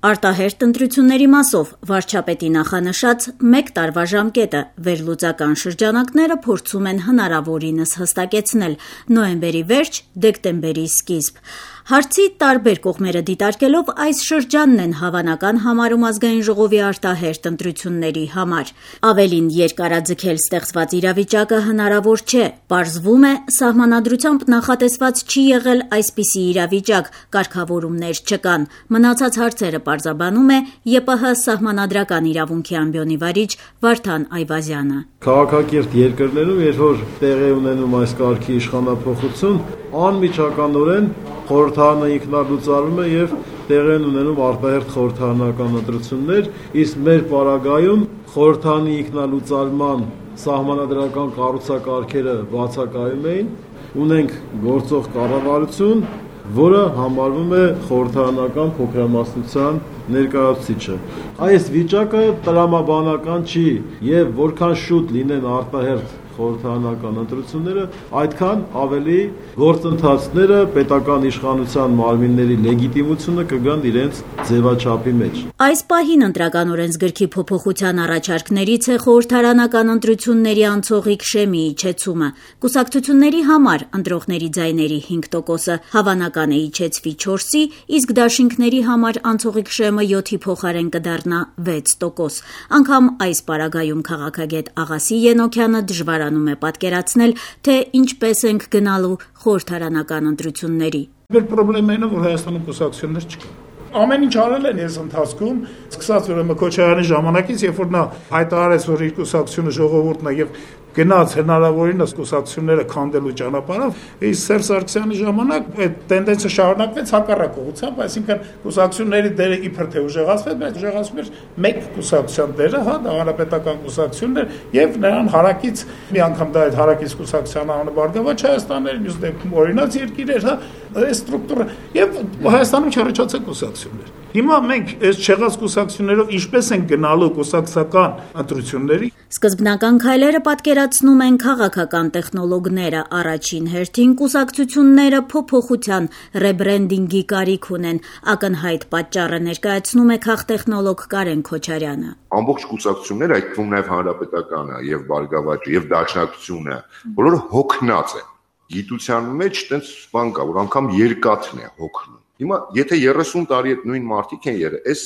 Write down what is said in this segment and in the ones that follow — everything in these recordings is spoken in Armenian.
Արտահերթ ընտրությունների մասով վարչապետի նախանշած 1 տարվա ժամկետը վերլուծական շրջանակները փորձում են հնարավորինս հստակեցնել նոյեմբերի վերջ, դեկտեմբերի սկիզբ։ Հարցի տարբեր կողմերը դիտարկելով այս շրջանն են հավանական համարում ազգային ժողովի արտահերթ ընտրությունների համար։ Ավելին երկարաձգել ստեղծված իրավիճակը հնարավոր չէ, պարզվում է, սահմանադրությամբ նախատեսված չի եղել այսպիսի իրավիճակ, կարգավորումներ չկան։ Մնացած հարցերը պարզաբանում է ԵՊՀ սահմանադրական իրավունքի ամբիոնի վարիչ Վարդան Այվազյանը։ Քաղաքակիրթ երկրներում, երբ որ տեղի ունենում այս կարգի իշխանափոխություն, անմիջականորեն խորհրդարանը ինքնալուծարվում է եւ տեղի են ունենում արտահերթ խորհրդարանական ընտրություններ, իսկ մեր պարագայում խորհրդարանի ինքնալուծարման սահմանադրական կառուցակարգերը բացակայում էին, ունենք գործող կառավարություն, որը համարվում է խորհրդարանական փոքրամասնության ներկայացուցիչը։ Այս վիճակը տրամաբանական չի եւ որքան շուտ լինեն արտահերթ խորհրդարանական ընտրությունները, այդքան ավելի գործընթացները պետական իշխանության մարմինների լեգիտիմությունը կգան իրենց ձևաչափի մեջ։ Այս պահին ընտրական օրենսգրքի փոփոխության առաջարկներից է խորհրդարանական ընտրությունների անցողիկ շեմի իջեցումը։ Կուսակցությունների համար ընտրողների ձայների 5%-ը հավանական է իջեցվի 4-ի, իսկ դաշինքների համար անցողիկ շեմը 7-ի փոխարեն կդառնա 6%։ Անգամ այս պարագայում քաղաքագետ Աղասի Ենոքյանը դժվարանում է պատկերացնել, թե ինչպես ենք գնալու խորհրդարանական ընտրությունների։ Մեր խնդիրն է, որ Հայաստանում կուսակցություններ չկան։ Ամեն ինչ արել են այս ընթացքում, սկսած ուրեմն Քոչարյանի ժամանակից, երբ որ նա հայտարարեց, որ իր կուսակցությունը ժողովուրդն է եւ գնաց հնարավորինս կուսակցությունները քանդելու ճանապարհով, իսկ Սերժ Սարգսյանի ժամանակ այդ տենդենսը շարունակվեց հակառակ ուղղությամբ, այսինքն կուսակցությունների դերը իբր թե ուժեղացվեց, բայց ուժեղացվում էր մեկ կուսակցության դերը, դա հանրապետական կուսակցությունն էր եւ նրան հարակից մի անգամ դա այդ հարակից կուսակցության անունը Բարգավաճ Հայաստանն էր, մյուս դեպքում օրինաց երկիր էր, այս ստրուկտուրա եւ Հայաստանում չառաջացել կուսակցություններ։ Հիմա մենք այս չեղած կուսակցություններով ինչպես են գնալու կուսակցական ընտրությունների։ Սկզբնական քայլերը պատկերացնում են քաղաքական տեխնոլոգները, առաջին հերթին կուսակցությունները փոփոխության ռեբրենդինգի կարիք ունեն, ակնհայտ պատճառը ներկայացնում է քաղտեխնոլոգ Կարեն Քոչարյանը։ Ամբողջ կուսակցությունները, այդ թվում նաև հանրապետականը եւ Բարգավաճը եւ Դաշնակցությունը, բոլորը հոգնած են։ Գիտության մեջ տենց բան կա, որ անգամ երկաթն է հոգնում։ Հիմա եթե 30 տարի այդ նույն մարդիկ են եղել, այս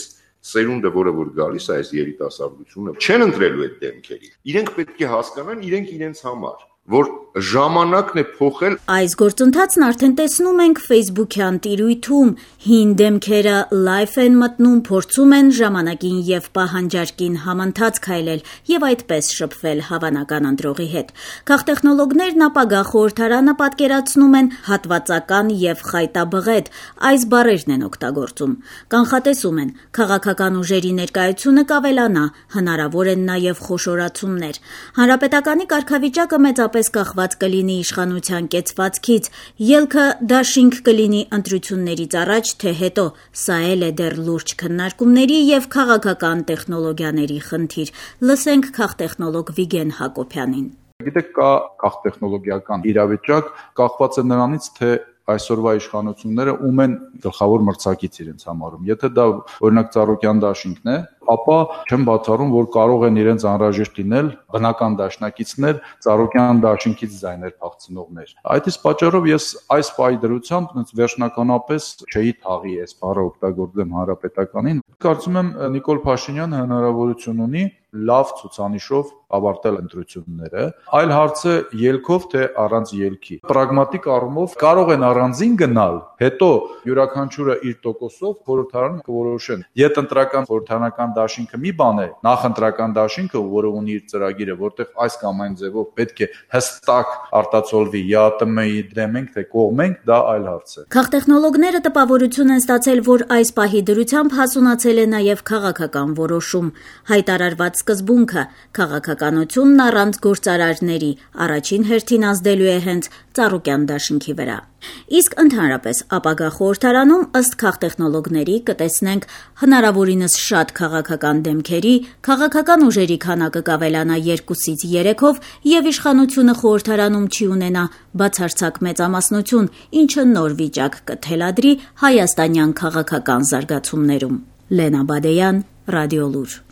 սերունդը, որը որ գալիս է, այս երիտասարդությունը, չեն ընտրելու այդ դեմքերի։ Իրենք պետք է հասկանան, իրենք իրենց համար, որ ժամանակն է փոխել։ Այս գործընթացն արդեն տեսնում ենք Facebook-յան տիրույթում, հին դեմքերը լայվ են մտնում, փորձում են ժամանակին եւ պահանջարկին համընթաց քայլել եւ այդպես շփվել հավանական ընտրողի հետ։ Քաղտեխնոլոգներն ապագա խորհրդարանը պատկերացնում են հատվածական եւ խայտաբղետ, այս բառերն են օգտագործում։ Կանխատեսում են, քաղաքական ուժերի ներկայությունը կավելանա, հնարավոր են նաեւ խոշորացումներ։ Հանրապետականի կարգավիճակը մեծապես կախված կլինի իշխանության կեցվածքից, ելքը դաշինք կլինի ընտրություններից առաջ, թե հետո, սա էլ է դեռ լուրջ քննարկումների եւ քաղաքական տեխնոլոգիաների խնդիր։ Լսենք քաղտեխնոլոգ Վիգեն Հակոբյանին։ Գիտեք, կա քաղտեխնոլոգիական իրավիճակ, կախված է նրանից, թե այսօրվա իշխանությունները ում են գլխավոր մրցակից իրենց համարում։ Եթե դա օրինակ Ծառուկյան դաշինքն է, ապա չեմ բացառում, որ կարող են իրենց անհրաժեշտ լինել բնական դաշնակիցներ, Ծառուկյան դաշինքից ձայներ փախցնողներ։ Այդ իսկ պատճառով ես այս պահի դրությամբ վերջնականապես չէի թաղի այս բառը օգտագործեմ հանրապետականին։ Կարծում եմ Նիկոլ Փաշինյանը հնարավորություն ունի լավ ցուցանիշով ավարտել ընտրությունները, այլ հարցը ելքով թե առանց ելքի։ Պրագմատիկ առումով կարող են առանձին գնալ, հետո յուրաքանչյուրը իր տոկոսով խորհրդարանը կորոշեն։ Եթե ընտրական խորհրդարանական դաշինքը մի բան է, նախընտրական դաշինքը, որը ունի իր ծրագիրը, որտեղ այս կամ այն ձևով պետք է հստակ արտացոլվի ԵԱՏՄ-ի դեմ ենք թե կողմ ենք, դա այլ հարց է։ Քաղտեխնոլոգները տպավորություն են ստացել, որ այս պահի դրությամբ հասունացել է նաև քաղաքական որոշում։ Հայտարարված սկզբունքը քաղաքականությունն առանց գործարարների առաջին հերթին ազդելու է հենց Ծառուկյան դաշինքի վրա։ Իսկ ընդհանրապես ապագա խորհրդարանում ըստ քաղտեխնոլոգների կտեսնենք հնարավորինս շատ քաղաքական դեմքերի, քաղաքական ուժերի քանակը կավելանա 2-ից 3-ով եւ իշխանությունը խորհրդարանում չի ունենա բացարձակ մեծամասնություն, ինչը նոր վիճակ կթելադրի հայաստանյան քաղաքական զարգացումներում։ Լենա Բադեյան, Ռադիոլուր։